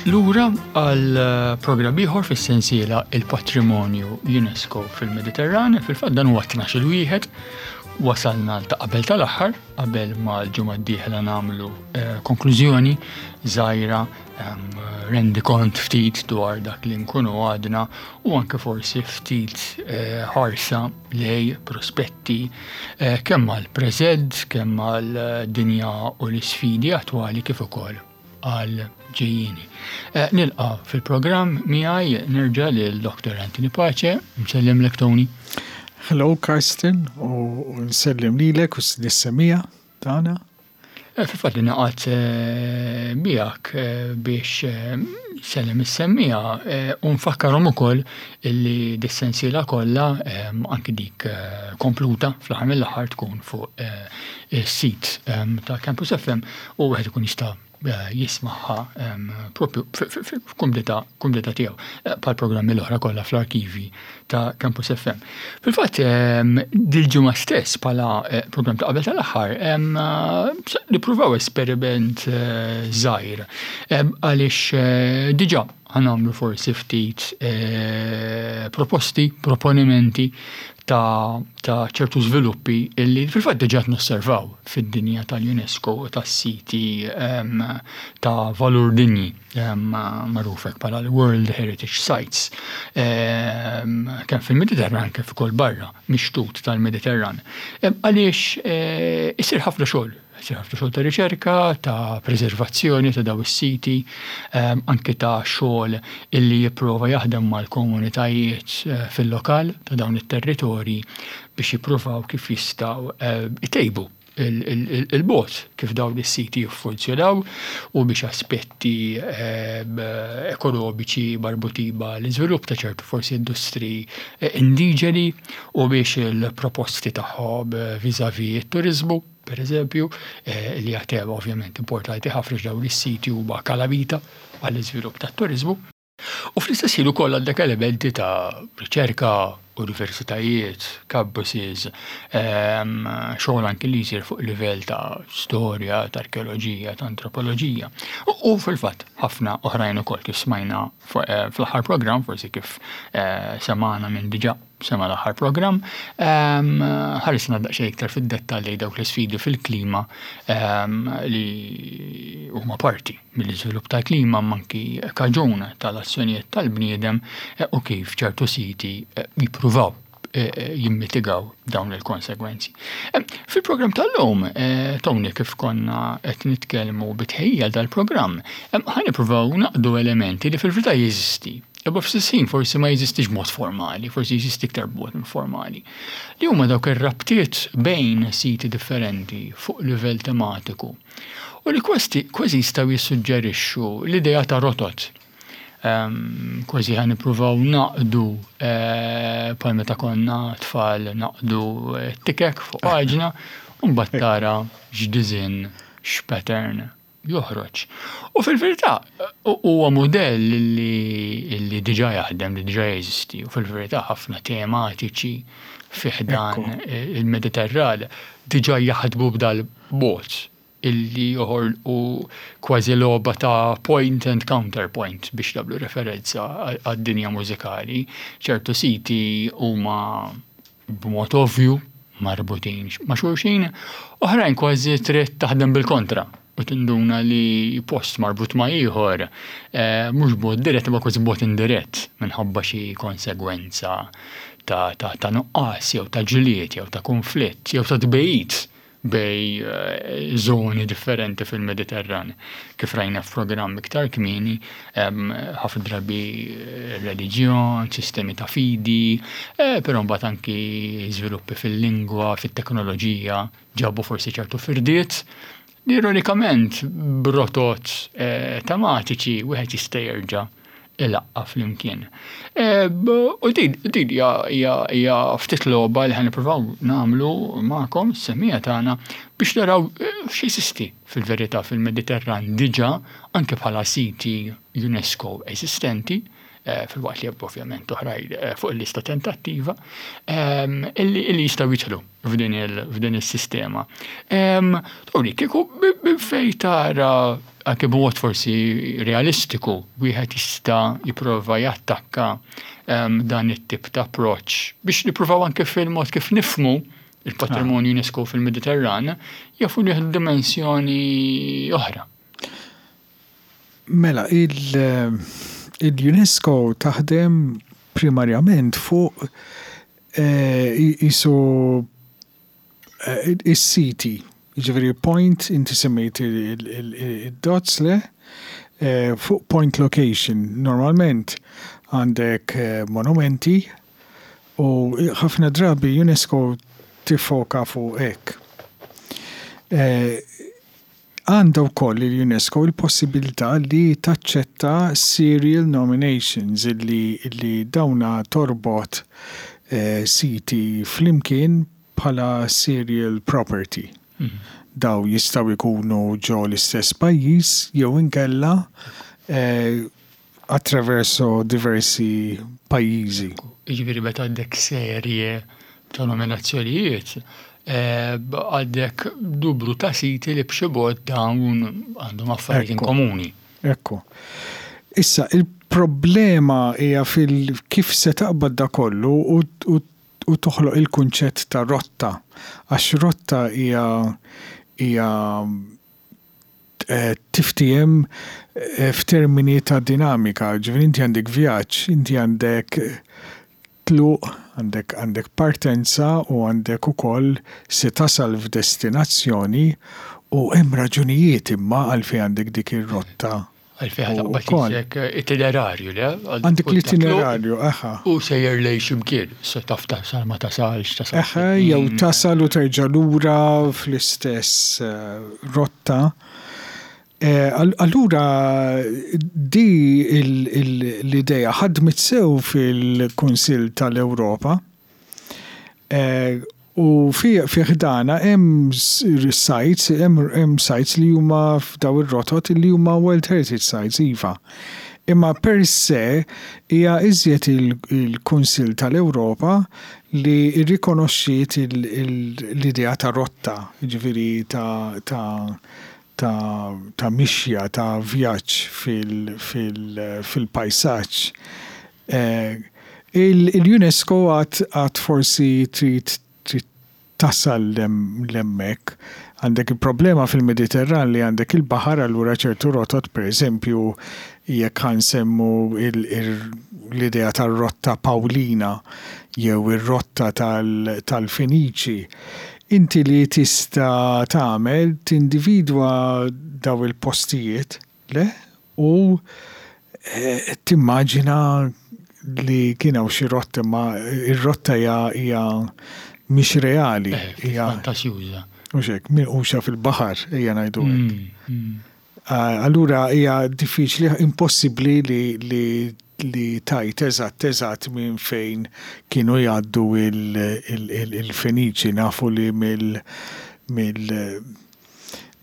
Lura għal programm ieħor fis-sensiela Il-Patrimonju UNESCO fil-Mediterran, fil-fatt dan huwa 12 wieħed, wasalna ta' qabel tal-aħħar, qabel ma l-ġimgħa d-dieħla nagħmlu eh, konklużjoni żgħira rendi kont ftit dwar dak li nkunu għadna u anke forsi ftit eh, ħarsa lej prospetti eh, kemm għal preżent, kemm għal dinja u l-isfidi attwali kif ukoll għal ġejjini. Eh, nilqa fil-programm miegħi nerġa' lil Dr. Anthony Pace, nsellimlek Tony. Hello Karsten u nsellem lilek u s-semija tagħna. Eh, fil-fatt li naqgħod eh, miegħek eh, biex sellem is-semmija u nfakkarhom ukoll illi dis-sensiela kollha anki dik kompluta fl-aħħar mill-aħħar tkun fuq is-sit ta' Campus FM u wieħed ikun jista' jismagħha propju f'kumdità kumdità tiegħu eh, bħal programmi l-oħra kollha fl-arkivi ta' Campus FM. Fil-fatt dil-ġimgħa stess bħala eh, programm ta' qabel tal-aħħar eh, nippruvaw esperiment żgħir għaliex diġà ħanamlu forsi ftit proposti, proponimenti ta' ċertu żviluppi illi fil-fatt diġà nosservaw fid-dinja tal-UNESCO u tas-siti ta' valur dinji magħruf hekk bħala l-World Heritage Sites kemm fil-Mediterran kif ukoll barra mix-xtut tal-Mediterran. Għaliex eh, isir ħafna xogħol isir ħafna xogħol ta' riċerka, ta' preservazzjoni ta' daw is-siti, anke ta' xogħol illi jipprova jaħdem mal-komunitajiet eh, fil-lokal ta' dawn it-territorji biex jippruvaw kif jistgħu eh, itejbu il-bot kif dawn is-siti jiffunzjonaw u biex aspetti eh, ekonomiċi marbutin ma' l-iżvilupp ta' ċertu forsi industri indiġeni u biex il-proposti tagħhom vis-à-vis it-turiżmu per eżempju, eh, li hija tema ovvjament importanti ħafna dawn is-siti huma kalamita għall-iżvilupp tat-turiżmu. U fl-istess ħin ukoll għandek elementi ta' riċerka, universitajiet, campuses, ehm, xogħol anki li jsir fuq livell ta' storja, ta' arkeoloġija, ta' antropoloġija. U fil-fatt ħafna oħrajn ukoll kif smajna eh, fl-aħħar programm, forsi kif eh, semana minn diġà sema l-aħħar programm, ehm, ħarisna daqsxejn iktar fid-dettall lejn dawk l-isfidi fil-klima ehm, li huma parti mill-iżvilupp tal-klima manki kaġun tal-azzjonijiet tal-bniedem eh, u kif ċertu siti eh, jippruvaw eh, jimmitigaw dawn il-konsegwenzi. Fil-programm tal-lum, Tony, kif konna qed nitkellmu bitħejja dal-programm, ħa nippruvaw naqdu elementi li fil-verità jeżisti Imma fl-istess ħin forsi ma jeżistix b'mod formali, forsi jeżisti iktar b'mod informali. Li huma dawk ir-rabtiet bejn siti differenti fuq livell tematiku. U li kważi kważi jistgħu jissuġġerixxu l-idea ta' rotot. Ehm, kważi ħa nippruvaw naqdu eh, bħal meta konna tfal naqdu eh, tikek fuq paġna u mbagħad tara x'diżinn, x'pattern joħroġ. U fil-verità huwa mudell li, li diġà jaħdem, li diġà jeżisti, u fil-verità ħafna tematiċi fi ħdan il-Mediterran diġà jaħdmu b'dal mod illi joħolqu kważi logħba ta' point and counterpoint biex nagħmlu referenza għad-dinja mużikali. ċertu siti huma b'mod ovvju marbutin ma' xulxin, oħrajn kważi trid taħdem bil-kontra u tinduna li post marbut ma' ieħor eh, mhux b'mod dirett imma kważi b'mod indirett minħabba xi konsegwenza ta', ta, ta nuqqas jew ta' ġlied jew ta' konflitt jew ta' tbejjid bejn żoni differenti fil-Mediterran. Kif rajna f'programm iktar kmieni, ħafna drabi reliġjon, sistemi ta' fidi, eh, però mbagħad anki żviluppi fil-lingwa, fit-teknoloġija, ġabu forsi ċertu firdiet. Ironikament, b'rotot eh, tematiċi wieħed jista' jerġa' ilaqqa' flimkien. U din din hija ftit logħba li ħa nippruvaw nagħmlu magħkom is-semmiegħa tagħna biex naraw x'jeżisti fil-verità fil-Mediterran diġà anke bħala siti UNESCO eżistenti filwaqt li ovvjament oħrajn fuq il-lista tentattiva illi jistgħu jidħlu f'din is-sistema. Tony, kieku minn fejn tara. anke b'mod forsi realistiku wieħed jista' jipprova jattakka dan it-tip ta' approċċ biex nippruvaw anke fil-mod kif nifhmu il-patrimonju UNESCO fil-Mediterran jafu li dimensjoni oħra. Mela, il-UNESCO taħdem primarjament fuq qisu is-siti, jiġifieri point, inti semmejt id-dots le, fuq point location. Normalment għandek monumenti u ħafna drabi UNESCO tiffoka fuq hekk. Għandha wkoll il-UNESCO l-possibilità li taċċetta serial nominations illi illi dawna torbot siti flimkien bħala serial property. Daw jistgħu jkunu ġo l-istess pajjiż jew inkella attraverso diversi pajjiżi. Jiġifieri meta għandek serje ta' nominazzjonijiet, għandek numru ta' siti li b'xi mod dawn għandhom affarijiet in komuni. Ekku. Issa, il-problema hija fil kif se taqbad da kollu u toħloq il-kunċett ta' rotta. Għax rotta hija hija tiftiehem f'termini ta' dinamika, ġifieri inti għandek vjaġġ, inti għandek tluq, għandek għandek partenza u għandek ukoll se tasal f'destinazzjoni u hemm raġunijiet imma għalfejn għandek dik ir-rotta. Għalfejn ħa taqbad isek itinerarju, le? Għandek l-itinerarju, eħa. U sejjer lejn x'imkien, se taf tasal ma tasalx, tasal. Eħe, jew tasal u terġa' lura fl-istess rotta. Allura di l-idea ħadmet sew fil-Kunsill tal-Ewropa. U fi ħdanha hemm sites, hemm sites li huma f'daw ir-rotot li huma World Heritage Sites, iva. Imma per se hija iżjed il-Kunsill tal-Ewropa li rrikonoxxiet l-idea ta' rotta, jiġifieri ta' mixja, ta' vjaġġ fil-pajsaġġ. Il-UNESCO għad forsi trid trid tasal l'hemmhekk. Għandek il-problema fil-Mediterran li għandek il-baħar allura ċertu rotot, pereżempju jekk ħa nsemmu l-idea tar-rotta Pawlina jew ir-rotta tal-Feniċi, inti li tista' tagħmel tindividwa daw il-postijiet, Le, u timmaġina li kien hawn xi rotta imma r-rotta hija hija mhix reali. Hija fantasjuża. Mhux hekk, minquxa fil-baħar, ejja ngħidu hekk. Allura hija diffiċli, impossibbli li li li tgħid eżatt eżatt minn fejn kienu jgħaddu il-Feniċi. Nafu li mill mill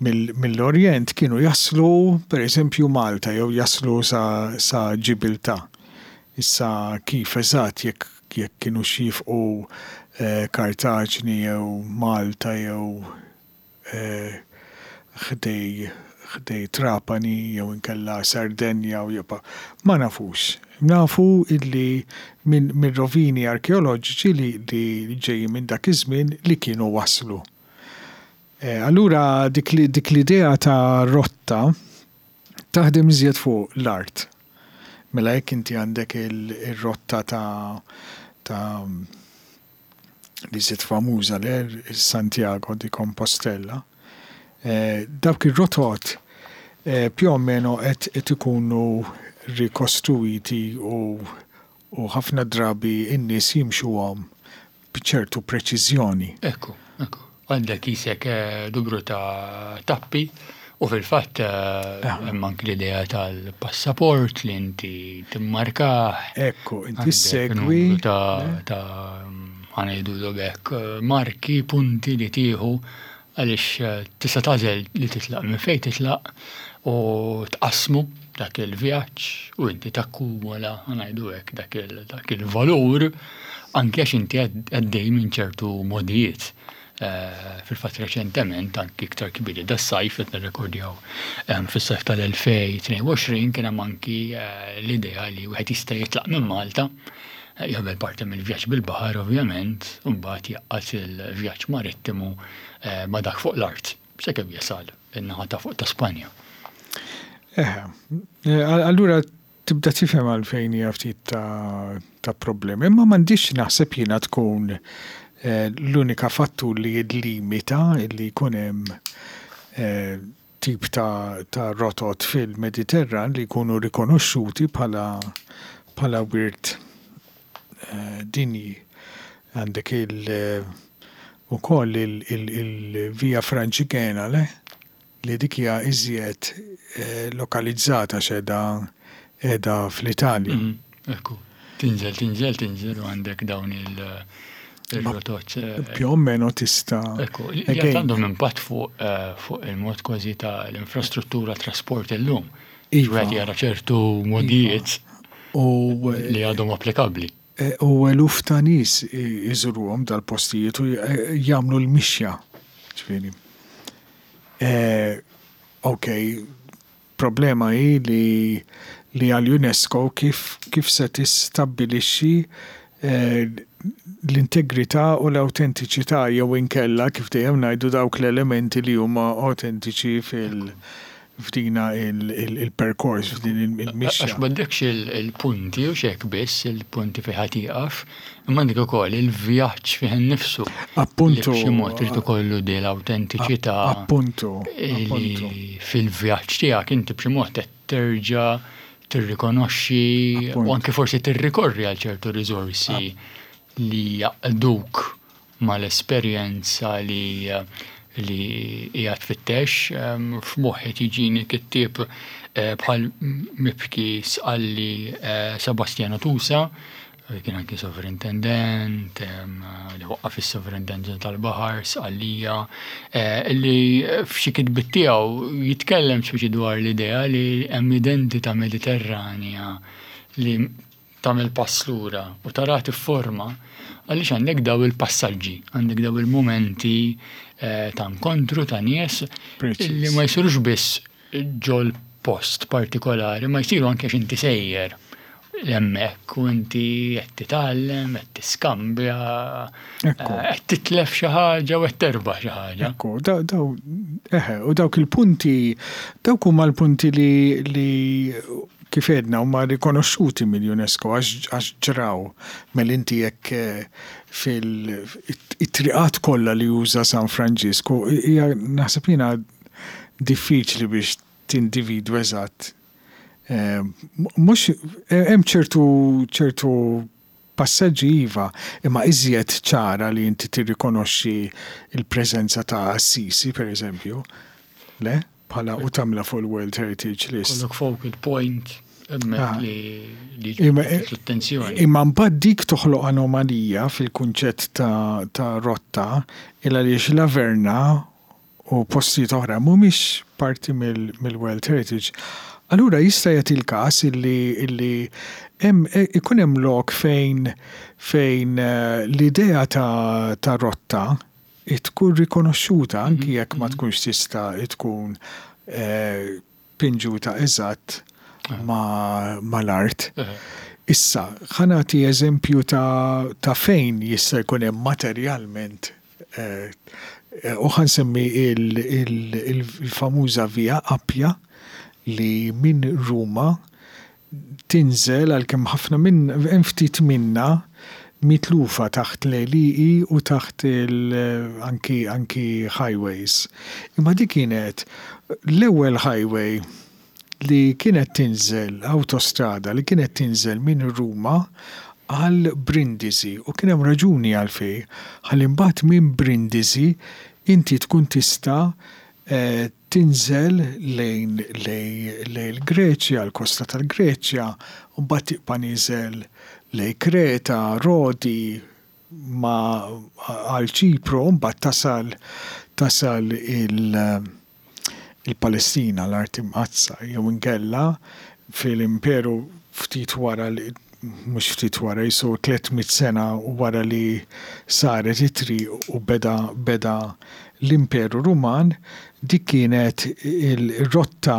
mill-Orjent kienu jaslu pereżempju Malta jew jaslu sa Ġibiltà. Issa kif eżatt jekk jekk kinux jifqu Kartaġni jew Malta jew ħdej ħdej Trapani jew inkella Sardenja u jibqa' ma nafux. Nafu illi minn mir-rovini arkeoloġiċi li li ġejjin minn dak iż-żmien li kienu waslu. Allura dik l-idea ta' rotta taħdem iżjed fuq l-art. Mela jekk inti għandek ir-rotta ta' ta' l-iżjed famuża le, Santiago di Compostela, dawk ir-rotot più o meno qed ikunu rikostruwiti u u ħafna drabi n-nies jimxuhom b'ċertu preċiżjoni. Ekku, ekku. Għandek qisek numru ta' tappi u fil-fatt hemm anki l-idea tal-passaport li inti timmarkah. Ekku, inti ssegwi. Numru ta' ta' ħa ngħidulhom hekk, marki, punti li tieħu Għaliex tista' tagħżel li titlaq minn fejn titlaq u tqassmu dak il-vjaġġ u inti takkumula, ħa ngħidu hekk, dak il-valur anke għax inti għaddej minn ċertu mogħdijiet. Fil-fatt reċentement, anki iktar kbiri das-sajf qed nirrekordjaw fis-sajf tal-2022 kien hemm anki l-idea li wieħed jista' jitlaq minn Malta, jagħmel parti mill-vjaġġ bil-baħar ovvjament, u mbagħad jgħaqqad il-vjaġġ marittimu ma' dak fuq l-art sakemm jasal in-naħa ta' fuq ta' Spanja. Eħe, allura Tibda tifhem għalfejn hija ftit ta' ta' problemi. Imma m'għandhiex naħseb jiena tkun l-unika fattur li jillimita li jkun hemm tip ta' ta' rotot fil-Mediterran li jkunu rikonoxxuti bħala bħala wirt dinji. Għandek il ukoll il-Via Francigena, le? Li dik hija iżjed lokalizzata għax qiegħda qiegħda fl-Italja. Ekku. Tinżel, tinżel, tinżel u għandek dawn il-rotot. Più o meno tista'. Ekku, li għandhom impatt fuq fuq il-mod kważi ta' l-infrastruttura trasport illum. Iva. Wieħed jara ċertu modijiet li għadhom applikabbli. U eluf ta' nies iżuruhom dal-postijiet u jagħmlu l-mixja. Ġifieri. Ok, problema hi li li għall-UNESCO kif kif se tistabbilixxi l-integrità u l-awtentiċità jew inkella kif dejjem ngħidu dawk l-elementi li huma awtentiċi fil f'dina il-perkors, f'din il-mixja. Għax m'għandekx il-punti u xek biss, il-punti fejn ħa tieqaf, imma għandek ukoll il-vjaġġ fih innifsu. Appuntu. B'xi mod irid ikollu din l-awtentiċità. Appuntu. Li fil-vjaġġ tiegħek inti b'xi mod qed terġa' tirrikonoxxi u anke forsi tirrikorri għal ċertu riżorsi li jaqduk mal-esperjenza li li qiegħed tfittex. F'moħħi tiġini kittieb bħal Mibki Sqalli Sebastiano Tusa, li kien anki sovrintendent, li waqqaf is-Sovrintendenza tal-Baħar, Sqallija, li f'xi kitbiet tiegħu jitkellem speċi dwar l-idea li hemm identità Mediterranja li tagħmel pass lura u taraha tifforma għaliex għandek daw il-passaġġi, għandek daw il-mumenti eh, ta' inkontru ta' nies li ma jsirux biss ġol post partikolari, ma jsiru anke x'inti sejjer hemmhekk u inti qed titgħallem, qed tiskambja, eh, qed titlef xi ħaġa u qed terbaħ xi ħaġa. Ekku, daw, eħe, u dawk il-punti, dawk huma l-punti li, li Kif għedna huma rikonoxxuti mill-UNESCO għax ġraw. Mela inti jekk fil-triqat kollha li uża San Franġisku hija naħseb jiena diffiċli biex tindividwa eżatt. Mhux hemm ċertu ċertu Passaġġi iva, imma iżjed ċara li inti tirrikonoxxi l-preżenza ta' Assisi, per eżempju. Le? Bħala u tagħmilha fuq il-World Heritage List. Ikollok focal point hemmhekk li jiġbed l-attenzjoni. Imma mbagħad dik toħloq anomalija fil-kunċett ta' rotta il għaliex La Verna u postijiet oħra mhumiex parti mill-World Heritage. Allura jista' jagħti l-każ illi illi hemm ikun hemm lok fejn fejn l-idea ta' ta' rotta tkun rikonoxxuta anki jekk ma tkunx tista' tkun pinġuta eżatt mal-art. Issa, ħa nagħti eżempju ta' ta' fejn jista' jkun hemm materjalment u ħa nsemmi il-famuża Via Appia li minn Ruma tinżel għalkemm ħafna minn hemm ftit minnha mitlufa taħt l-għelieqi u taħt il anki anki highways. Imma dik kienet l-ewwel highway li kienet tinżel awtostrada li kienet tinżel minn Ruma għal Brindisi u kien hemm raġuni għalfejn ħalli mbagħad minn Brindisi inti tkun tista' tinżel lejn lejn il-Greċja, l-kosta tal-Greċja, u mbagħad tibqa' nieżel lejn Kreta, Rodi, ma għal Ċipru, u mbagħad tasal tasal il il-Palestina, l-Art Imqaddsa, jew inkella fil-Imperu ftit wara li. mhux ftit wara, jisu 300 sena wara li saret it-triq u beda beda l-Imperu Ruman, dik kienet il-rotta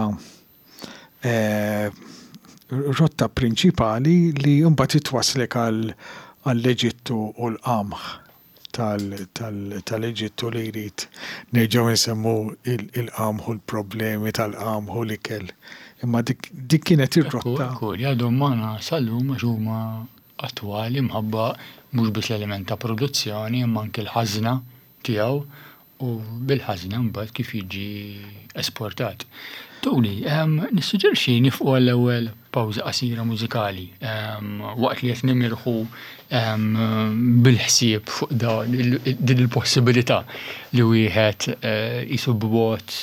rotta prinċipali li mbagħad itwasslek għall-Eġittu u l-qamħ tal-Eġittu li jrid nerġgħu nsemmu il-qamħ u l-problemi tal-qamħ u l-ikel. Imma dik kienet ir-rotta. Ekku, li għadhom magħna sal-lum għax huma attwali mħabba mhux biss l-element ta' produzzjoni imma anke l-ħażna tiegħu u bil-ħażna mbagħad kif jiġi esportat. Tony, nissuġġerixxi nifqu għall-ewwel pawża qasira mużikali waqt li qed nimirħu bil-ħsieb fuq din il-possibilità li wieħed qisu b'mod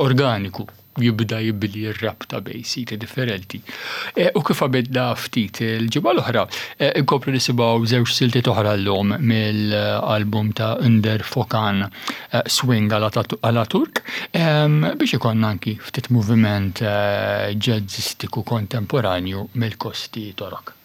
organiku jibda jibni r-rabta bejn siti differenti. E, u kif għamilna ftit il-ġimgħa l-oħra, e, inkomplu nisimgħu żewġ siltiet oħra llum mill-album ta' Under Fokan e, Swing għala Turk biex ikonna anki ftit moviment ġazzistiku kontemporanju mill-kosti Torok.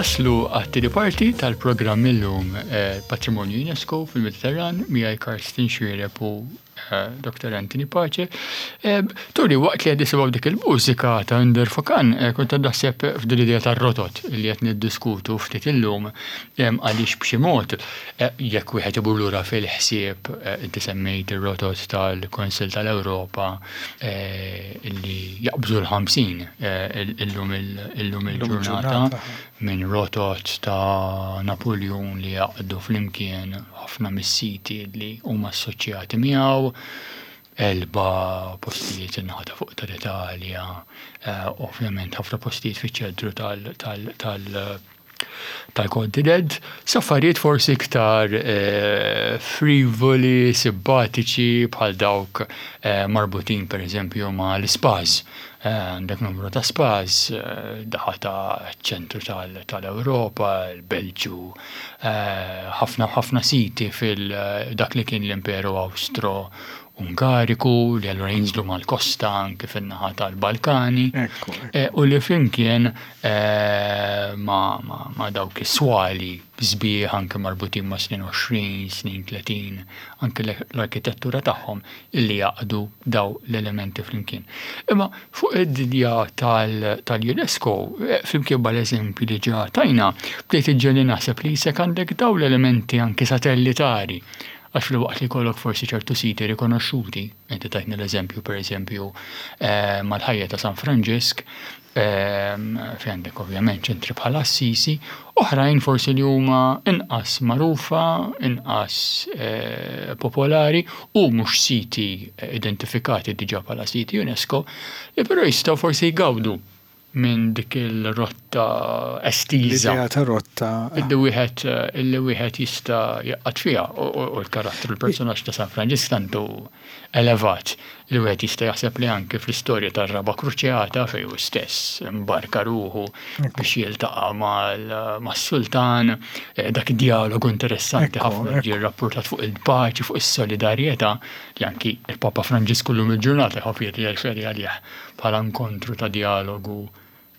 Naslu għat-tieni parti tal-programm illum Patrimonju UNESCO fil-Mediterran miegħi Karsten Xuereb u Dr. Anthony Pace. Turi, waqt li qed nisimgħu dik il-mużika ta' Inder Fokan, kont qed naħseb f'din l-idea tar-rotot li qed niddiskutu ftit illum għaliex b'xi mod jekk wieħed imur lura fil-ħsieb inti semmejt ir-rotot tal-Kunsill tal-Ewropa li jaqbżu l-50 illum il-ġurnata minn rotot ta' Napuljun li jgħaqqdu flimkien ħafna mis-siti li huma assoċjati miegħu, Elba, postijiet in-naħa ta' fuq tal-Italja, ovvjament ħafna postijiet fiċ-ċentru tal-kontinent, sa affarijiet forsi iktar frivoli, simpatiċi bħal dawk marbutin pereżempju mal-ispas. Għandek numru ta' spas, daħa ta' ċentru tal-Ewropa, il-Belġju, ħafna ħafna siti fil-dak li kien l-Imperu Awstro-Ungariku li allura jinżlu mal-kosta anke fin-naħa tal-Balkani. U li flimkien ma' dawk is-swali sbieħ anke marbutin ma' snin 20, snin 30, anke l-arkitettura tagħhom illi jgħaqqdu daw l-elementi flimkien. Imma fuq id-dinja tal-UNESCO, flimkien mal-eżempji li ġa tajna, bdejt iġġegħli naħseb li jisek għandek daw l-elementi anke satellitari, għax filwaqt li jkollok forsi ċertu siti rikonoxxuti, inti tajtni l-eżempju pereżempju mal-ħajja ta' San Franġisk, Fejn għandek ovvjament ċentri bħal Assisi, oħrajn forsi li huma inqas magħrufa, inqas popolari u mhux siti identifikati diġà bħala siti UNESCO, li però jistgħu forsi jgawdu minn dik il-rotta estiża. L-idea ta' rotta. Illi wieħed illi wieħed jista' jaqgħad fiha u l-karattru l-personaġġ ta' San Franġisk tant hu elevat li wieħed jista' jaħseb li anki fl-istorja tar-Raba' Kruċjata fejn hu stess imbarka ruħu biex jiltaqa' mas-sultan, dak id-djalogu interessanti ħafna ġie rrappurtat fuq il-paċi, fuq is-solidarjetà li anki l-Papa Franġisku llum il-ġurnata jħobb jirreferi għalih bħala inkontru ta' djalogu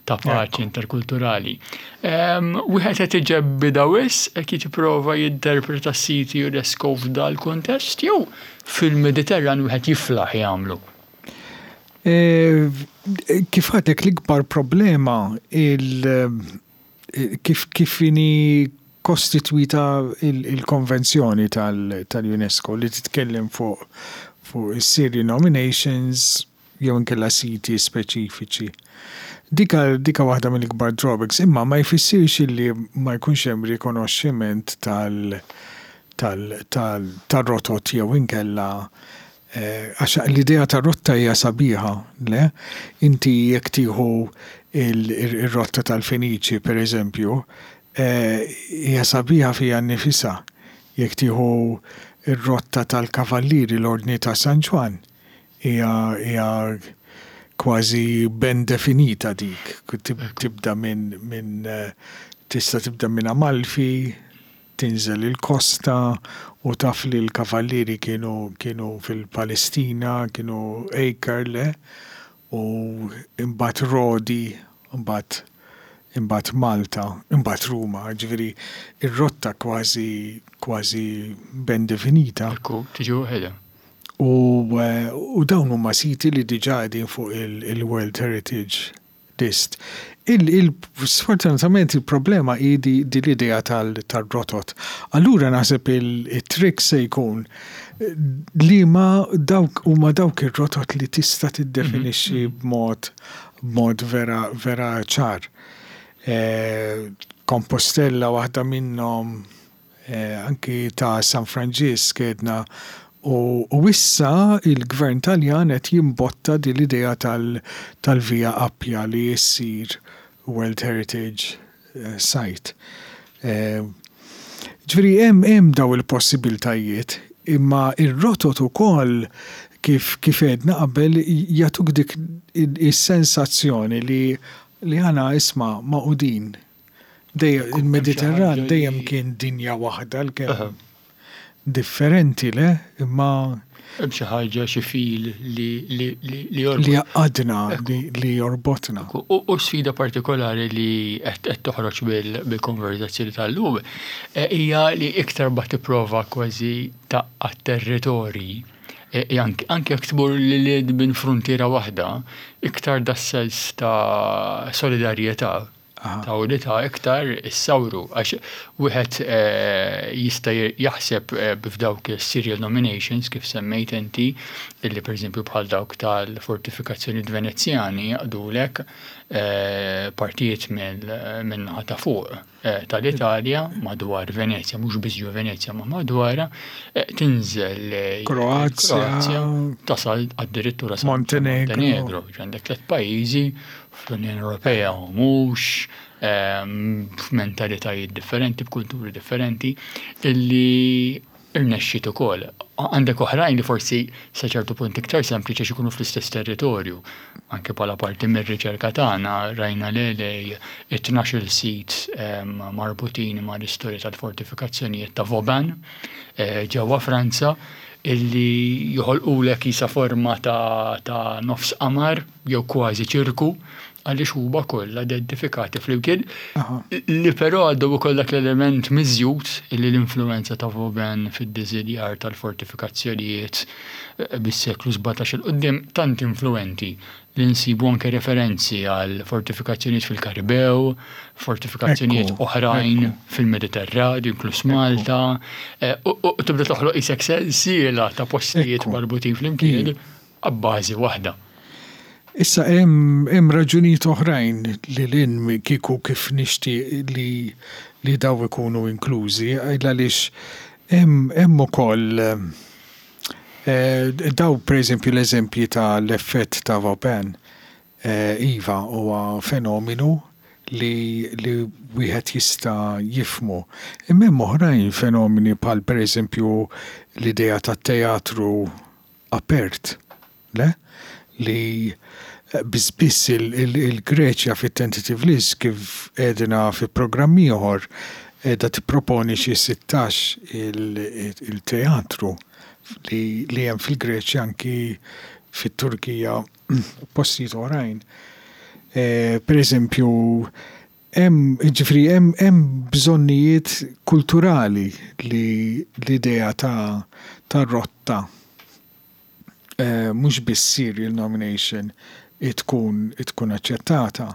ta' paċi interkulturali. Wieħed qed iġebbidha wisq hekk jipprova jinterpreta s-siti UNESCO f'dal-kuntest jew fil-Mediterran wieħed jiflaħ jagħmlu? Kif għadek l-ikbar problema il kif kif inhi kostitwita il-konvenzjoni tal-UNESCO li titkellem fuq fuq is-Syrian nominations jew inkella siti speċifiċi. Dika dika waħda mill-ikbar drawbacks, imma ma jfissirx illi ma jkunx hemm rikonoxximent tal tal tal tar-rotot jew inkella għax l-idea ta' rotta hija sabiħa, le? Inti jekk tieħu ir-rotta tal-Feniċi pereżempju, hija sabiħa fiha nnifisha. Jekk tieħu r-rotta tal-Kavallieri l-Ordni ta' San Ġwann, Hija hija kważi ben definita dik. Tibda minn minn tista' tibda minn Amalfi, tinżel il-kosta u taf li l-kavallieri kienu kienu fil-Palestina, kienu Acre, le? U imbagħad Rodi, imbagħad imbagħad Malta, imbagħad Ruma. Jiġifieri r-rotta kważi kważi ben definita. Ekku, tiġi waħedha. U dawn huma siti li diġà qegħdin fuq il-World Heritage List. Sfortunatament il-problema hi din l-idea tar-rotot. Allura naħseb it-trick se jkun liema dawk huma dawk ir-rotot li tista' tiddefinixxi b'mod b'mod vera vera ċar. Compostela waħda minnhom, anki ta' San Franġisk għedna u issa il-Gvern Taljan qed jimbotta din l-idea tal-Via Appia li ssir World Heritage Site. Ġifieri hemm hemm daw il-possibiltajiet imma r-rotot ukoll kif kif għedna qabel jagħtuk dik is-sensazzjoni li li aħna isma' magħqudin. Dejjem il-Mediterran dejjem kien dinja waħda għalkemm differenti le, imma. Hemm xi ħaġa, xi fil li li li li jorbot. Li jgħaqqadna, li jorbotna. U sfida partikolari li qed toħroġ bil-konverzazzjoni tal-lum hija li iktar ma tipprova kważi tgħaqqad territorji, anke jekk tmur lil hinn minn fruntiera waħda, iktar das-sens ta' solidarjetà ta' unità iktar issawru għax wieħed jista' jaħseb f'dawk is-serial nominations kif semmejt inti illi pereżempju bħal dawk tal-fortifikazzjonijiet Venezjani jaqdulek partijiet min-naħa ta' fuq tal-Italja madwar Venezja, mhux biss ġo Venezja ma madwarha, tinżel Kroazja, tasal addirittura sa Montenegro. Għandek tliet pajjiżi fl-Unjoni Ewropea u mhux, f'mentalitajiet differenti, b'kulturi differenti, illi rnexxiet ukoll. Għandek oħrajn li forsi sa ċertu punt iktar sempliċi għax ikunu fl-istess territorju. Anke bħala parti mir-riċerka tagħna rajna le lej it-tnax-il sit marbutin mal-istorja tal-fortifikazzjonijiet ta' Vauban ġewwa Franza illi joħolqulek qisha forma ta' nofs qamar jew kważi ċirku, għaliex huma kollha identifikati flimkien, li però għandhom ukoll dak l-element miżjud li l-influwenza ta' Vauban fid-diżinjar tal-fortifikazzjonijiet bis-seklu 17 'il quddiem tant influwenti li nsibu anke referenzi għal fortifikazzjonijiet fil-Karibew, fortifikazzjonijiet oħrajn fil-Mediterran, inkluż Malta, u tibda toħloq qisek sensiela ta' postijiet marbutin flimkien. abbażi waħda. Issa hemm hemm raġunijiet oħrajn lil hinn minn kieku kif nixtieq li li dawn ikunu inklużi għaliex hemm hemm ukoll dawn pereżempju l-eżempji ta' l-effett ta' Vauban iva huwa fenominu li li wieħed jista' jifhmu. Imma hemm oħrajn fenomeni bħal pereżempju l-idea tat-teatru apert, le? Li biss biss il-Greċja fit-tentative list kif għedna fi programm ieħor qiegħda tipproponi xi 16 il-teatru li hemm fil-Greċja anki fit-Turkija u postijiet oħrajn. Per eżempju, hemm jiġifieri hemm hemm bżonnijiet kulturali li l-idea ta' ta' rotta mhux biss serial nomination tkun tkun aċċettata.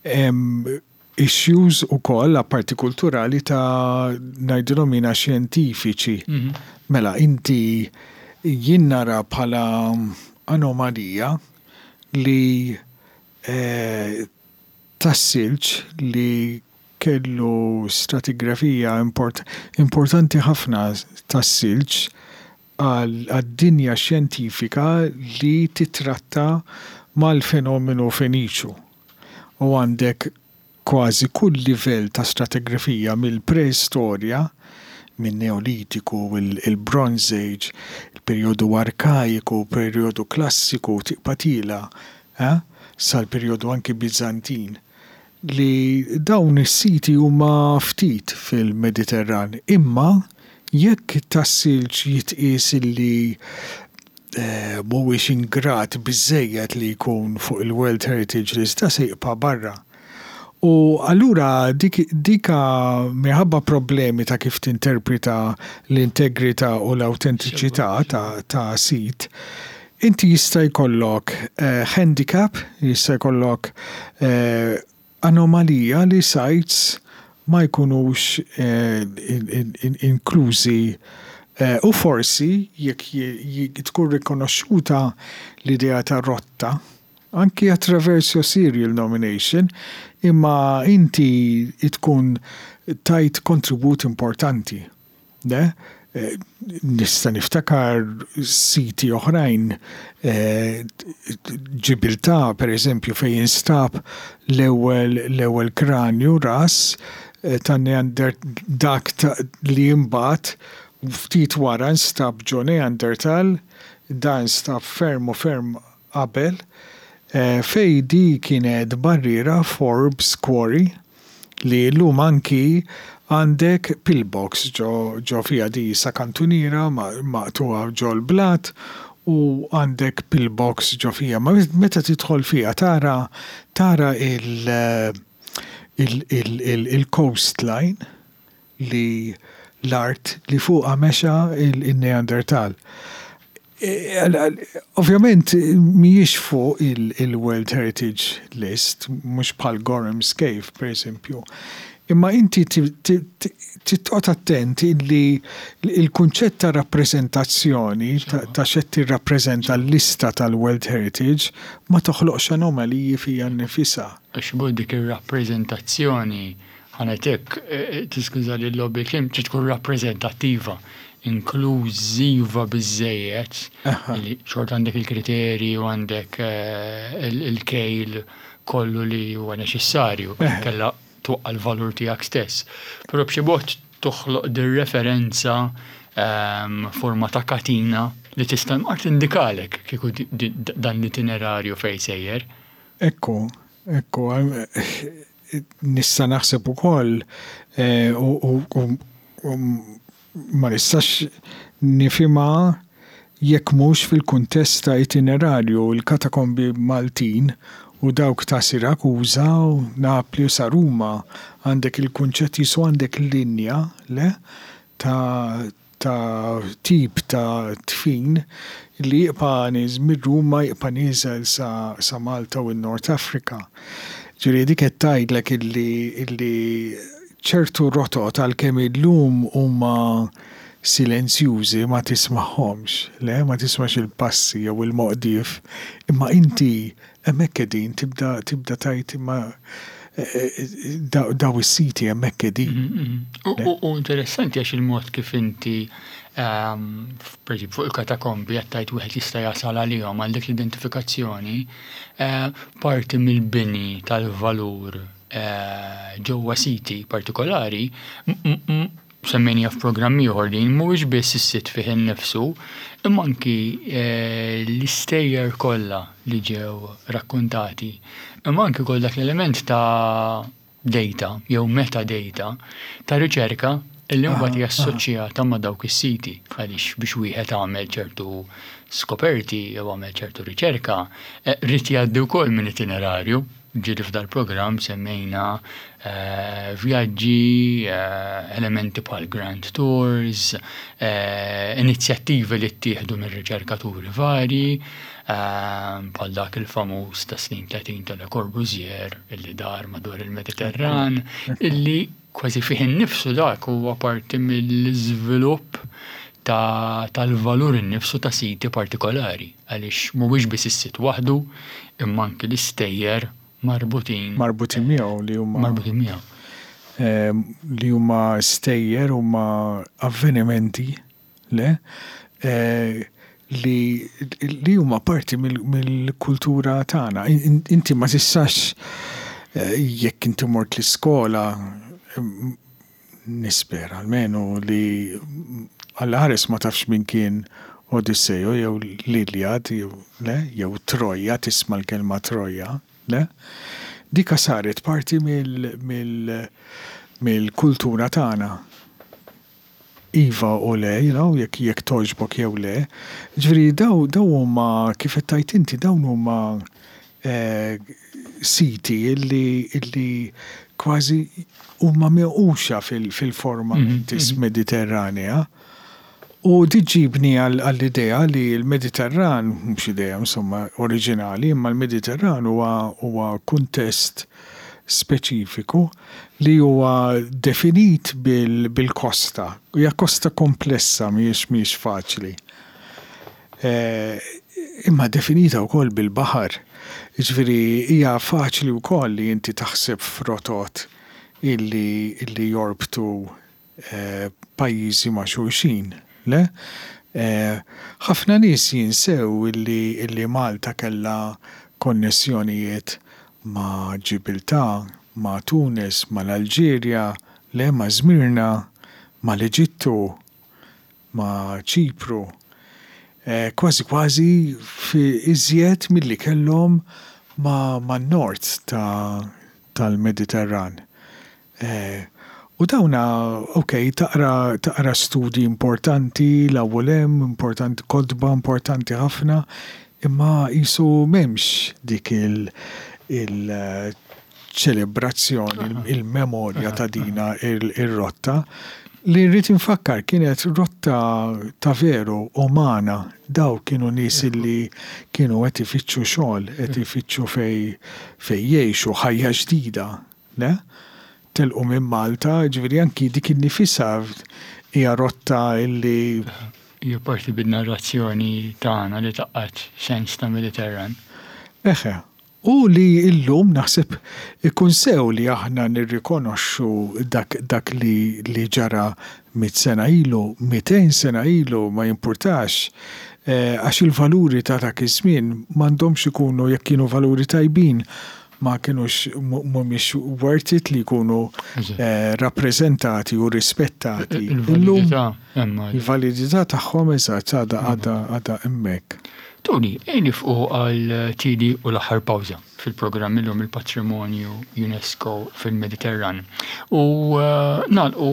Hemm issues ukoll apparti kulturali ta' ngħidilhom jiena xjentifiċi. Mela inti jien nara bħala anomalija li tas-silġ li kellu stratigrafija importanti ħafna tas-silġ għad-dinja xjentifika li tittratta mal-fenomenu Feniċu. U għandek kważi kull livell ta' stratigrafija mill-preistorja, min-Neolitiku, il-Bronze Age, il-perjodu Arkajiku, perjodu Klassiku, tibqa' tiela' sal-perjodu anki Biżantin, li dawn is-siti huma ftit fil-Mediterran, imma jekk tas-silġ jitqies illi mhuwiex ingrat biżżejjed li jkun fuq il-World Heritage List, da se jibqa' barra. U allura dik dika minħabba problemi ta' kif tinterpreta l-integrità u l-awtentiċità ta' ta' sit, inti jista' jkollok handicap, jista' jkollok anomalija li sites ma jkunux inklużi u forsi jekk tkun rikonoxxuta l-idea ta' rotta, anki attraverso serial nomination, imma inti tkun tajt kontribut importanti. Le? Nista' niftakar siti oħrajn, Ġibiltà pereżempju fejn instab l-ewwel l-ewwel kranju ras ta' Neander dak li imbagħad ftit wara nstab ġo Neanderthal, dan nstab ferm u ferm qabel, fejn di kienet barriera Forbes Quarry li llum anki Għandek pillbox ġo ġo fiha di sa kantuniera maqtugħa ġol-blat u għandek pillbox ġo fiha. Ma meta tidħol fiha tara tara il il il il-coastline li l-art li fuqha mexa il-Neandertal. Ovvjament mhijiex fuq il-World Heritage List, mhux bħal Gorham's Cave pereżempju. Imma inti trid toqgħod attent illi l-kunċett ta' rappreżentazzjoni ta' x'qed tirrappreżenta l-lista tal-World Heritage ma toħloqx anomaliji fiha nnifisha. Għax dik ir-rappreżentazzjoni Ħa ngħid hekk, tiskużani l-logħob bil-kliem, trid tkun rappreżentattiva, inklużiva biżżejjed li xorta għandek il-kriterji u għandek il-kejl kollu li huwa neċessarju, inkella twaqqa' l-valur tiegħek stess. Però b'xi mod toħloq dir-referenza forma ta' katina li tista' mqar tindikalek kieku dan l-itinerarju fejn sejjer. Ekku, ekku, Nista' naħseb ukoll u ma nistax nifhimha jekk mhux fil-kuntest ta' itinerarju l-katakombi Maltin u dawk ta' Sirakuża u Napli u sa Ruma għandek il-kunċett qisu għandek linja, le, ta' ta' tip ta' dfin li jibqa' niż minn Ruma jibqa' nieżel sa sa Malta u n-North Africa. Ġifieri dik qed tgħidlek illi illi ċertu rotot għalkemm illum huma silenzjużi ma tismagħhomx, le, ma tismax il-passi jew il-moqdief, imma inti Hemmhekk qegħdin, tibda tibda tgħid imma daw is-siti hemmhekk qegħdin. U interessanti għax il-mod kif inti pereżempju fuq il-katakombi qed tgħid wieħed jista' jasal għalihom għal dik l-identifikazzjoni, parti mill-bini tal-valur ġewwa siti partikolari semmejniha f'programm ieħor din, mhuwiex biss is-sit fih innifsu, imma anki l-istejjer kollha li ġew rakkuntati, imma anki wkoll dak l-element ta' data jew metadata ta' riċerka illi mbagħad hija assoċjata ma' dawk is-siti għaliex biex wieħed għamel ċertu skoperti jew għamel ċertu riċerka, ried jgħaddi wkoll minn itinerarju. Ġieli f'dal-programm semmejna vjaġġi, elementi bħal grand tours, inizjattivi li ttieħdu minn riċerkaturi varji, bħal dak il-famuż tas-snin 30 ta' Le Corbusier illi dar madwar il-Mediterran, illi kważi fih innifsu dak huwa parti mill-iżvilupp tal-valur innifsu ta' siti partikolari, għaliex mhuwiex biss is-sit waħdu, imma anki l-istejjer marbutin. Marbutin miegħu li huma. Marbutin miegħu. Li huma stejjer, huma avvenimenti, le, li li huma parti mill-kultura tagħna. Inti ma tistax jekk inti mort l-iskola Nispera almenu li Alla ħares ma tafx min kien Odisseo jew l-Iliad jew le, jew Troja, tisma' l-kelma Troja, le? Dika saret parti mill-kultura tagħna. Iva u le, you know, jekk jekk togħġbok jew le. Ġifieri daw daw huma kif qed tgħid inti dawn huma siti illi illi kważi huma minquxa fil-forma mentis Mediterranea. U di ġġibni għall-idea li l-Mediterran, mhux idea insomma oriġinali, imma l-Mediterran huwa huwa kuntest speċifiku li huwa definit bil-kosta. Hija kosta komplessa mhijiex mhijiex faċli. Imma definita wkoll bil-baħar. Jiġifieri hija faċli wkoll li inti taħseb f'rotot illi illi jorbtu pajjiżi ma' xulxin, le? Ħafna nies jinsew illi illi Malta kellha konnessjonijiet ma' Ġibiltà, ma' Tunis, mal-Alġerja, le, ma' Żmirna, mal-Eġittu. ma' Ċipru, kważi kważi iżjed milli kellhom man-nord tal-Mediterran. U dawna, ok, taqra taqra studji importanti, l-ewwel hemm, importanti, kotba importanti ħafna, imma qisu m'hemmx dik il il ċelebrazzjoni, il-memorja ta' dina ir-rotta li rrid infakkar kienet rotta ta' veru umana. Daw kienu nies li kienu qed ifittxu xogħol, qed ifittxu fejn fejn jgħixu ħajja ġdida, le? Telqu minn Malta, jiġifieri anki dik innifisha hija rotta li. Hija parti bin-narrazzjoni tagħna li tgħaqqad sens ta' Mediterran. Eħe. U li llum naħseb ikun sew li aħna nirrikonoxxu dak dak li li ġara mitt sena ilu, 200 sena ilu, ma jimpurtax, għax il-valuri ta' dak iż-żmien m'għandhomx ikunu jekk kienu valuri tajbin ma kinux mhumiex worth it li jkunu rappreżentati u rispettati illum. Il-validità tagħhom eżatt għadha għadha għadha hemmhekk. Tony, ejja nifqu għal tieni u l-aħħar pawża fil-programm illum il-Patrimonju UNESCO fil-Mediterran. U nagħlqu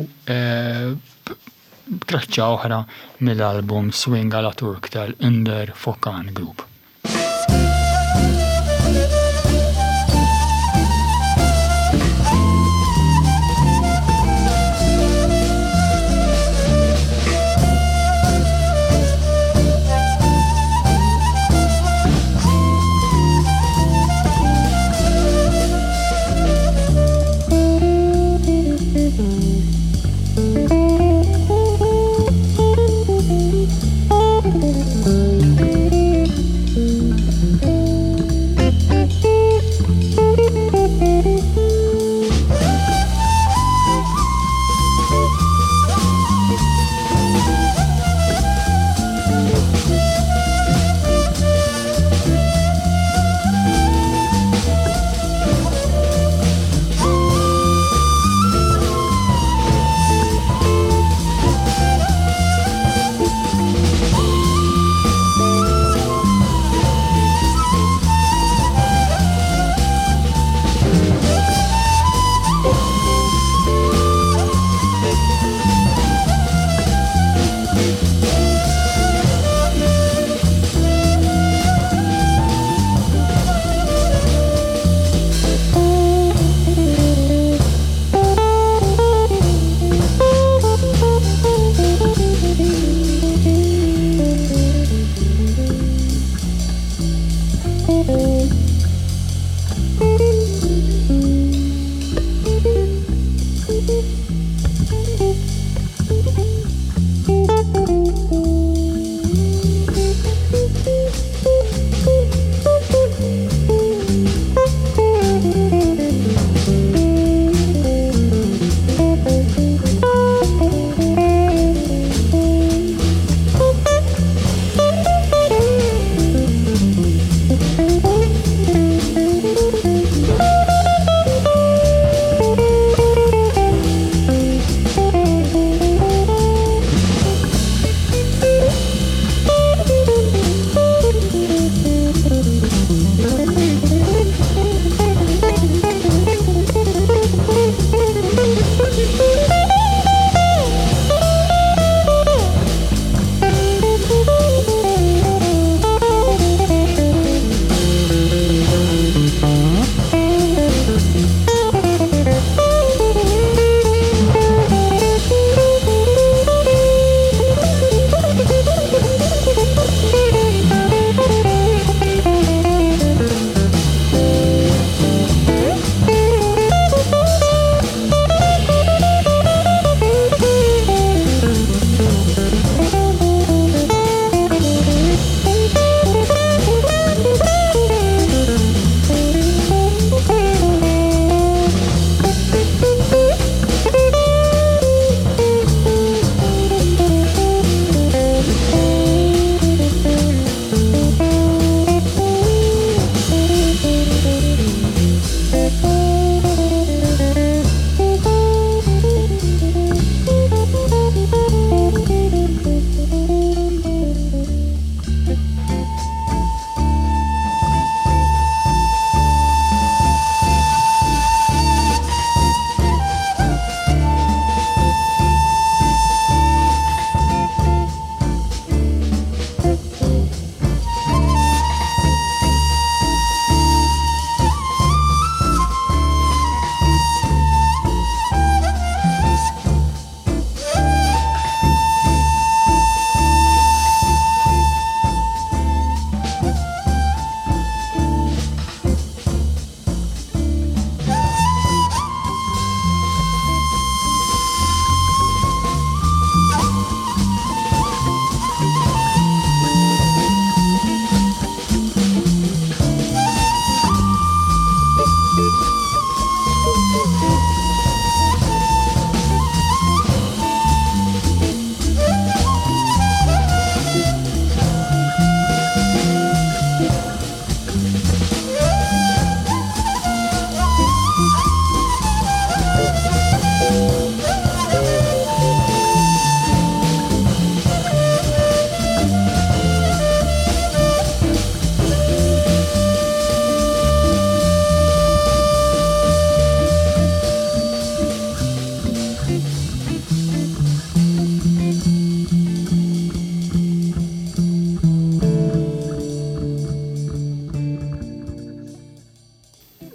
b'traċċa oħra mill-album Swing à la Turk tal-Under Fokan Group.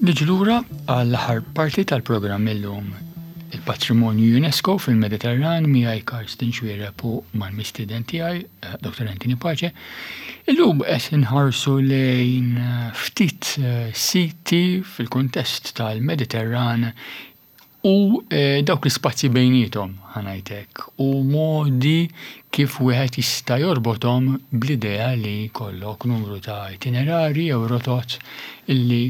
Niġu lura għall-aħħar parti tal-programm illum il-patrimonju UNESCO fil-Mediterran miegħi Karsten Xuereb u mal-mistieden tiegħi eh, Dr. Anthony Pace. Illum qed inħarsu lejn eh, ftit eh, siti fil-kuntest tal-Mediterran u dawk l-ispazji bejniethom, ħa ngħid hekk, u modi kif wieħed jista' jorbothom bl-idea li jkollok numru ta' itinerarji jew rotot illi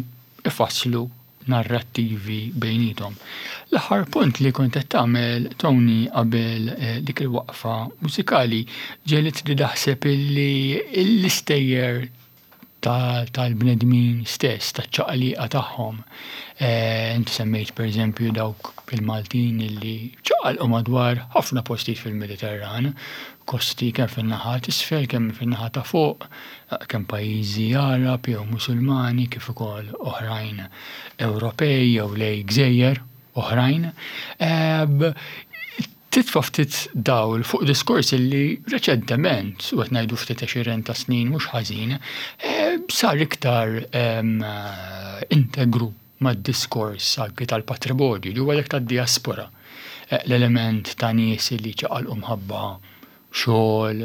ifasslu narrattivi bejniethom. L-aħħar punt li kont qed tagħmel Tony qabel dik il-waqfa mużikali ġegħlitni naħseb illi l-istejjer tal-bnedmin stess, taċ-ċaqliqa tagħhom. Eh, inti semmejt pereżempju dawk il-Maltin illi ċaqalqu madwar ħafna postijiet fil-Mediterran, kosti kemm fin-naħa t'isfel, kemm fin-naħa ta' fuq, kemm pajjiżi Għarab jew Musulmani kif ukoll oħrajn Ewropej jew lej gżejjer oħrajn. Eh, Titfa' ftit dawl fuq diskors illi reċentement, u qed ngħidu ftit għexieren ta' snin mhux ħażin, sar iktar integru mad-diskors anki tal-patrimonju, li huwa dak tad-dijaspora. L-element ta' nies li ċaqalqu mħabba xogħol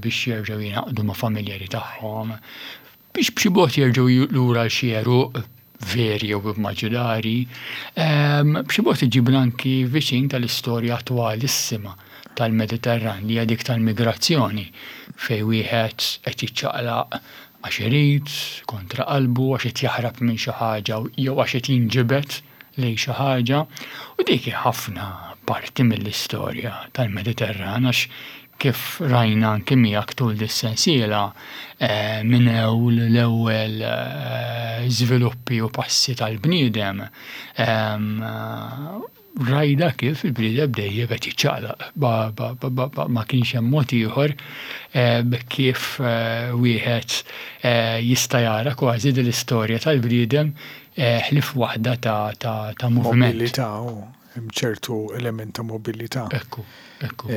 biex jerġgħu jingħaqdu ma' familjari tagħhom, biex b'xi mod jerġgħu lura għal xi għeruq veri jew immaġinari, b'xi mod iġibna anki viċin tal-istorja attwalissima tal-Mediterran li hija dik tal-migrazzjoni fejn wieħed qed jiċċaqlaq għax irid, kontra qalbu, għax qed jaħrab minn xi ħaġa jew għax qed jinġibed lejn xi ħaġa. U dik hi ħafna parti mill-istorja tal-Mediterran għax kif rajna anki miegħek tul dis-sensiela minn ewl l-ewwel żviluppi u passi tal-bniedem rajna kif il-bniedem dejjem qed jiċċaqlaq ma kienx hemm mod ieħor kif wieħed jista' jara kważi din l-istorja tal-bniedem ħlief waħda ta' moviment. Mobilità u hemm ċertu element ta' mobilità. Ekku, ekku.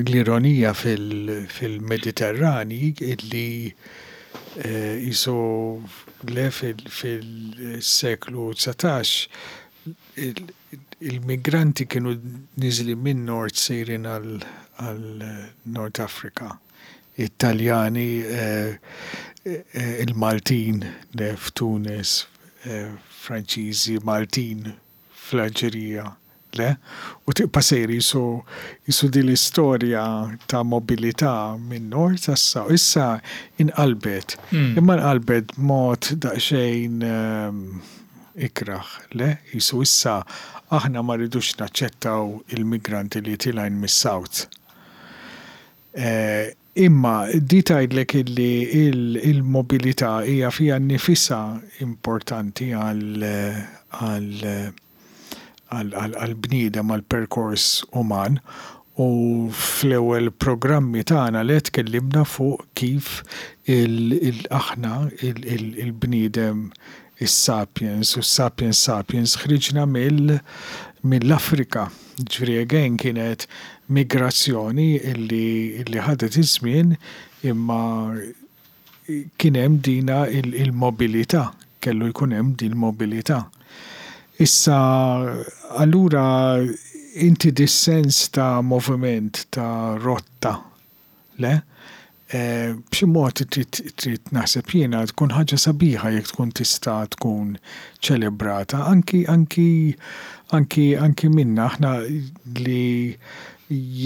L-ironija fil-Mediterran hi li qisu le fil-seklu 19 il-migranti kienu niżlin min-nord sejrin għal North Africa. It-Taljani, il-Maltin le f'Tunis, Franċiżi, Maltin fl-Alġerija, le? U tibqa' sejr qisu qisu din l-istorja ta' mobilità min-nord għas-south. Issa inqalbet, imma nqalbet b'mod daqsxejn ikrah, le? Qisu issa aħna ma rridux naċċettaw il-migranti li tilgħin mis-south. Imma di tgħidlek illi il-mobilità hija fiha nnifisha importanti għall-bniedem, għall-perkors uman u fl-ewwel programmi tagħna le tkellimna fuq kif aħna il-bniedem is-sapiens u s-sapiens sapiens ħriġna mill-Afrika. Jiġifieri again kienet migrazzjoni illi illi ħadet iż-żmien imma kien hemm dina il-mobilità, kellu jkun hemm din il-mobilità. Issa allura inti dis-sens ta' moviment, ta' rotta, Le. B'xi mod trid trid naħseb jiena tkun ħaġa sabiħa jekk tkun tista' tkun ċelebrata anki anki anki anki minna aħna li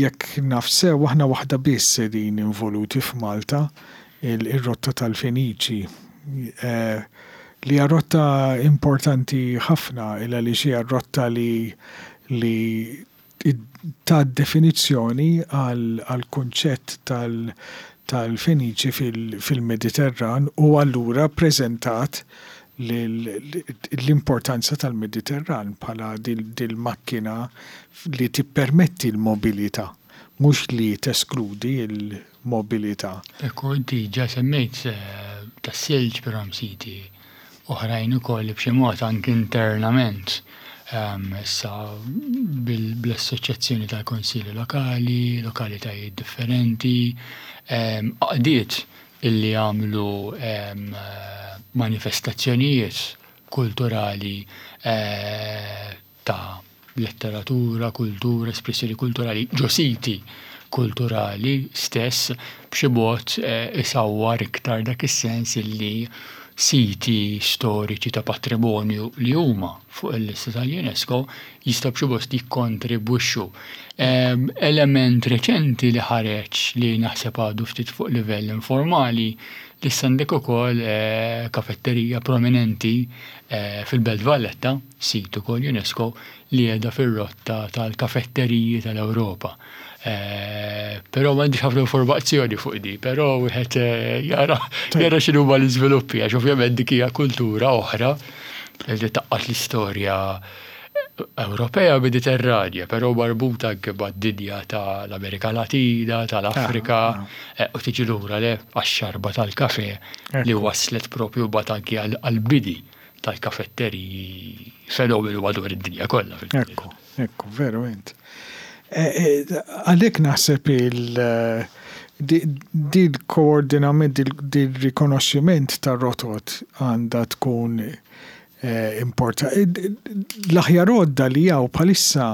jekk naf sew aħna waħda biss qegħdin involuti f'Malta ir-rotta tal-Feniċi li hija rotta importanti ħafna il għaliex hija r-rotta li li tat definizzjoni għall-kunċett tal-Feniċi fil-Mediterran u allura ppreżentat l-importanza tal-Mediterran bħala dil-makkina li tippermetti l-mobilità, mhux li teskludi l-mobilità. Ekku, inti ġa semmejt tas-silġ però hemm siti oħrajn ukoll li b'xi mod anki internament issa bl-assoċjazzjoni tal-kunsilli lokali, lokalitajiet differenti, għaqdiet illi għamlu manifestazzjonijiet. kulturali ta' letteratura, kultura, espressjoni kulturali ġo siti kulturali stess b'xi mod isawwar iktar dak is-sens illi siti storiċi ta' patrimonju li huma fuq il-lista tal-UNESCO jistgħu b'xi mod jikkontribwixxu. Element reċenti li ħareġ li naħseb għadu ftit fuq livell informali li issa għandek ukoll kafetterija prominenti fil-Belt Valletta, sit ukoll UNESCO, li qiegħda fir-rotta tal-kafetteriji tal-Ewropa. Però m'għandix ħafna informazzjoni fuq di, però wieħed jara jara x'inhuma l-iżviluppi għax ovvjament dik hija kultura oħra li taqqat l-istorja Ewropea Mediterranja, però marbuta anke mad-dinja tal-Amerika Latina, tal-Afrika, u tiġi lura le għax-xarba tal-kafe li waslet propju mbagħad anke għall-bini tal-kafetteriji fenomenu madwar id-dinja kollha. Ekku, ekku, veru int. Għalhekk naħseb il dil-koordinament, dil-rikonoxximent tar-rotot għandha tkun importanti. L-aħjar għodda li hawn bħalissa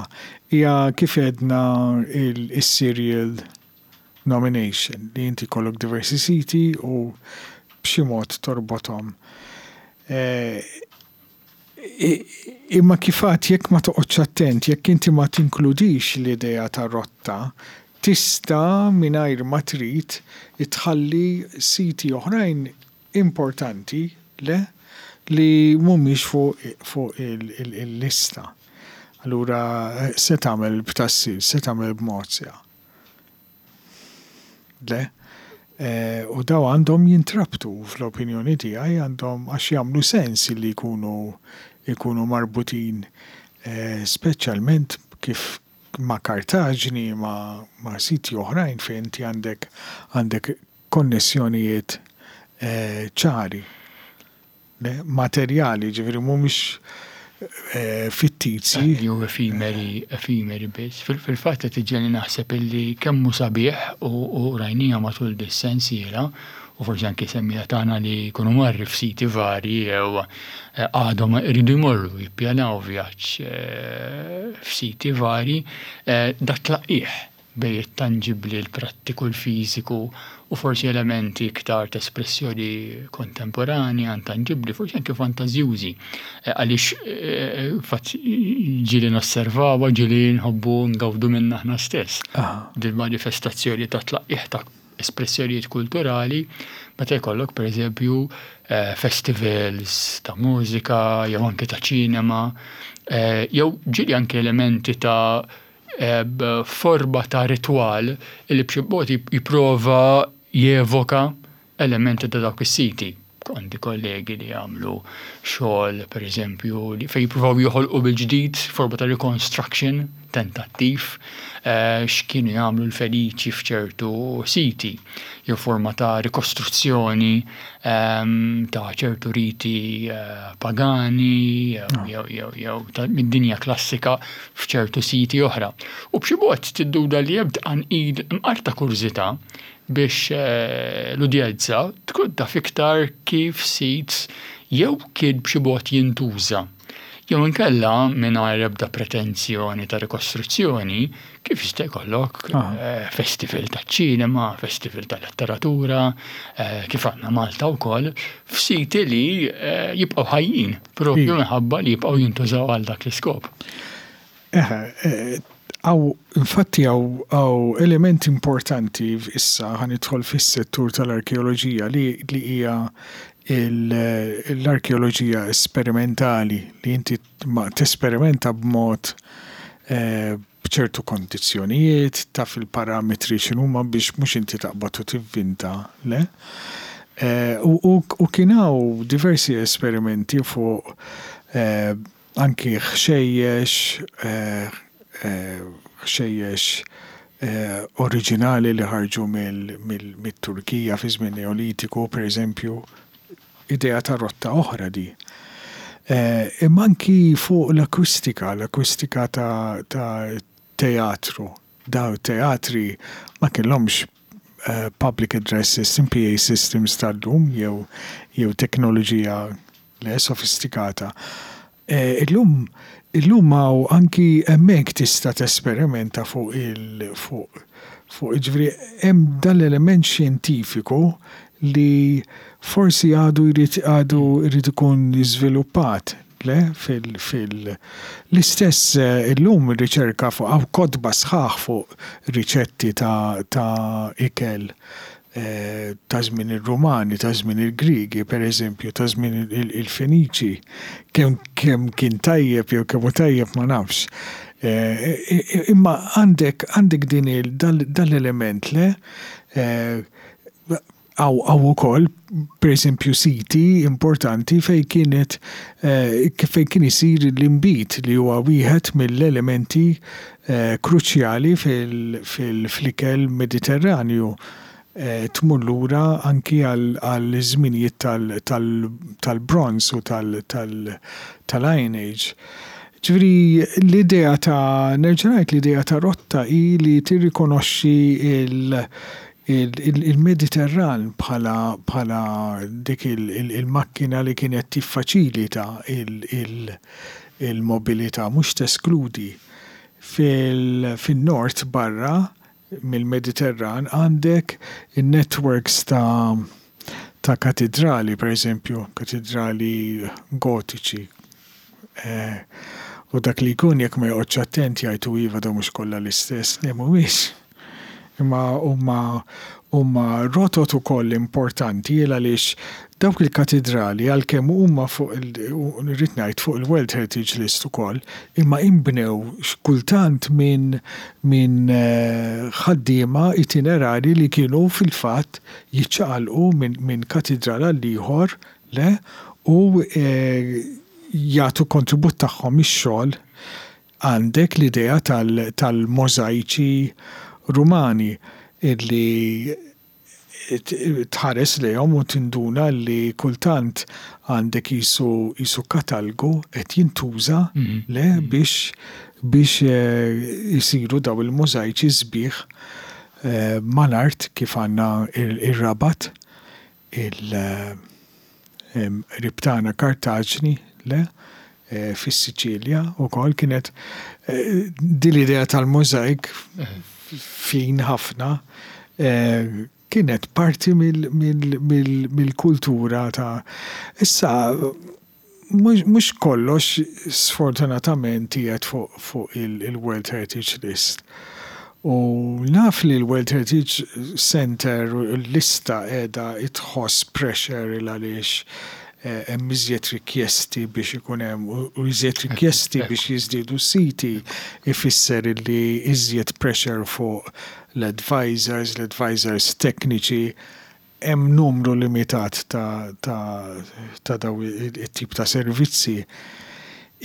hija kif għedna il-serial nomination li inti jkollok diversi siti u b'xi mod torbothom. Imma kif għedt jekk ma toqgħodx attent, jekk inti ma tinkludix l-idea ta' rotta, tista' mingħajr ma trid tħalli siti oħrajn importanti, le, li mhumiex fuq il-lista. Allura se tagħmel b'Tas-Silġ, se tagħmel b'Mozja. Le. U daw għandhom jintrabtu fl-opinjoni tiegħi għandhom għax jagħmlu sens li jkunu jkunu marbutin speċjalment kif ma' Kartaġni, ma' ma' siti oħrajn fejn inti għandek għandek konnessjonijiet ċari. Materjali, ġifieri mhumiex fittizji. Jew efimeri, efimeri biss. Fil-fatt qed iġegħelni naħseb illi kemm hu sabiħ u rajniha matul dis-sensiela u forsi anki semmiegħa tagħna li jkunu marri f'siti varji jew għadhom iridu jmorru jippjanaw vjaġġ f'siti varji, dat-tlaqqigħ bejn it-tanġibbli, l-prattiku, l-fiżiku u forsi elementi iktar ta' espressjoni kontemporanja, intanġibbli, forsi anke fantażjużi. Għaliex fatt ġieli nosservawha, ġieli nħobbu ngawdu minnha aħna stess. Din manifestazzjoni ta' tlaqqigħ ta' espressjonijiet kulturali meta jkollok pereżempju festivals ta' mużika jew anke ta' ċinema jew ġieli anke elementi ta' forma ta' ritwal li b'xi mod jipprova jevoka elementi ta' dawk is-siti. Għandi kollegi li jagħmlu xogħol pereżempju li fejn jippruvaw joħolqu mill-ġdid forma ta' reconstruction tentattiv x'kienu jagħmlu l-Feniċi f'ċertu siti jew forma ta' rikostruzzjoni ta' ċertu riti pagani jew jew jew mid-dinja klassika f'ċertu siti oħra. U b'xi mod tidduna li hemm tqanqil imqar ta' kurżità biex l-udjenza tkun taf iktar kif sit jew kien b'xi mod jintuża jew inkella mingħajr ebda pretensjoni ta' rikostruzzjoni kif jista' jkollok festival taċ-ċinema, festival tal-letteratura, kif għandna Malta wkoll, f'siti li jibqgħu ħajjin propju minħabba li jibqgħu jintużaw għal dak l-iskop. Eħe, hawn infatti hawn element importanti issa ħa nidħol fis-settur tal-arkeoloġija li hija l-arkeoloġija esperimentali li inti tesperimenta b'mod b'ċertu kondizzjonijiet, taf il-parametri x'inhuma biex mhux inti taqbad u tivvinta, le. U kien hawn diversi esperimenti fuq anki ħxejjex, ħxejjex oriġinali li ħarġu mit-Turkija fi żmien Neolitiku, pereżempju, idea ta' rotta oħra di. Imma anki fuq l-akwistika, l-akwistika ta' teatru. Daw teatri ma kellhomx public address system, PA systems tal-lum jew teknoloġija. le sofistikata. Illum illum hawn anki hemmhekk tista' tesperimenta fuq il fuq fuq jiġifieri hemm dan l-element xjentifiku li forsi għadu jrid għadu jrid ikun żviluppat le fil fil l-istess illum ir-riċerka fuq hawn kotba sħaħ fuq riċetti ta' ta' ikel ta' żmien ir-Rumani, ta' żmien il-Griegi, pereżempju, ta' żmien il-Feniċi. Kemm kemm kien tajjeb jew kemm hu tajjeb ma nafx. Imma għandek għandek din dan l-element le hawn ukoll pereżempju siti importanti fejn kienet fejn kien isir l-inbid li huwa wieħed mill-elementi kruċjali fl-ikel Mediterranju tmur lura anki għall-żminijiet tal-Bronż u tal-Iron Age. Ġifieri l-idea ta' nerġa' ngħid l-idea ta' rotta hi li tirrikonoxxi il-Mediterran bħala dik il-makkina li kienet tiffaċilita il-mobilità, mhux teskludi. Fin-nord barra mill-Mediterran għandek in-networks ta' ta' katidrali, pereżempju, katidrali Gotiċi. U dak li jkun jekk ma joqgħodx attent jgħid u iva dawn mhux kollha l-istess. Le mhumiex. Imma huma huma rotot ukoll importanti il għaliex dawk il-katidrali għalkemm huma fuq il irrid ngħid fuq il-World Heritage List ukoll, imma inbnew kultant minn minn ħaddiema itinerari li kienu fil-fatt jiċċaqalqu minn minn katidral għall-ieħor le u jagħtu kontribut tagħhom ix-xogħol Għandek l-idea tal-możajċi Rumani li tħares lejhom u tinduna li kultant għandek qisu qisu katalgu qed jintuża le biex biex isiru dawn il-możajċi sbieħ mal-art kif għandna r-Rabat il qrib tagħna Kartaġni, le, fis-Siċilja wkoll kienet din l-idea tal-możajk fin ħafna kienet parti mill-kultura ta' issa Mhux kollox sfortunatament qiegħed fuq il-World Heritage List. U naf li l-World Heritage Centre u l-lista qiegħda tħoss pressure il għaliex hemm iżjed rikjesti biex ikun hemm u iżjed rikjesti biex jiżdiedu s-siti ifisser illi iżjed pressure fuq l-advisors, l-advisors tekniċi Hemm numru limitat ta' ta' dawn it-tip ta' servizzi.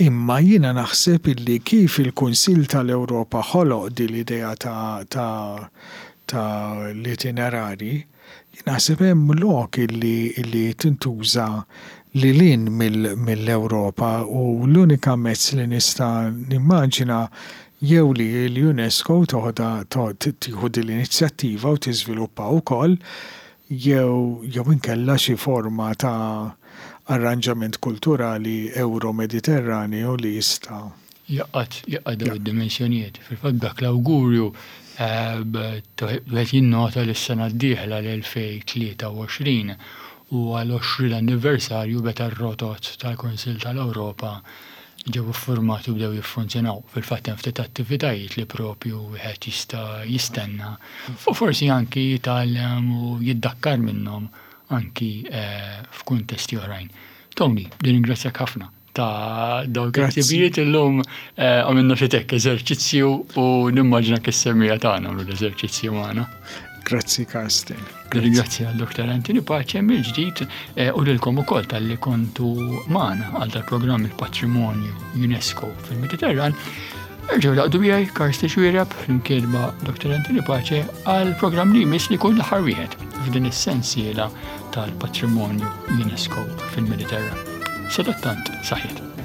Imma jiena naħseb illi kif il-Kunsill tal-Ewropa ħoloq din l-idea ta' ta' ta' l-itinerari, jien naħseb hemm lok illi illi tintuża lil hinn mill-Ewropa u l-unika mezz li nista' nimmaġina jew li l-UNESCO toħodha tieħu din l-inizjattiva u tiżviluppa wkoll jew jew inkella xi forma ta' arranġament kulturali Ewro-Mediterranju li jista' Jgħaqqad jgħaqqad dawn id-dimensjonijiet. Fil-fatt b'dak l-awgurju wieħed jinnota li s-sena d-dieħla l-2023 huwa l-20 anniversarju meta r-rotot tal-Kunsill tal-Ewropa ġew iffurmati u bdew jiffunzjonaw. Fil-fatt hemm ftit attivitajiet li propju wieħed jista' jistenna u forsi anki jitgħallem u jiddakkar minnhom anki eh, f'kuntesti oħrajn. Tony, nirringrazzjak ħafna ta' dawk il-ħsibijiet illum eh, għamilna xi tek eżerċizzju u nimmaġina kis-semmija tagħna l-eżerċizzju magħna. Grazzi Karsten. Ringrazzja l-Dr. Anthony Pace mill-ġdid eh, u lilkom ukoll talli kontu magħna għal dal-programm il-Patrimonju UNESCO fil-Mediterran. Erġgħu laqdu miegħi Karsten Xwireb flimkien ma' Dr. Anthony Pace għal programm li jmiss li jkun l-aħħar wieħed f'din is-sensiela tal-Patrimonju UNESCO fil-Mediterran. Sadattant, saħħiet.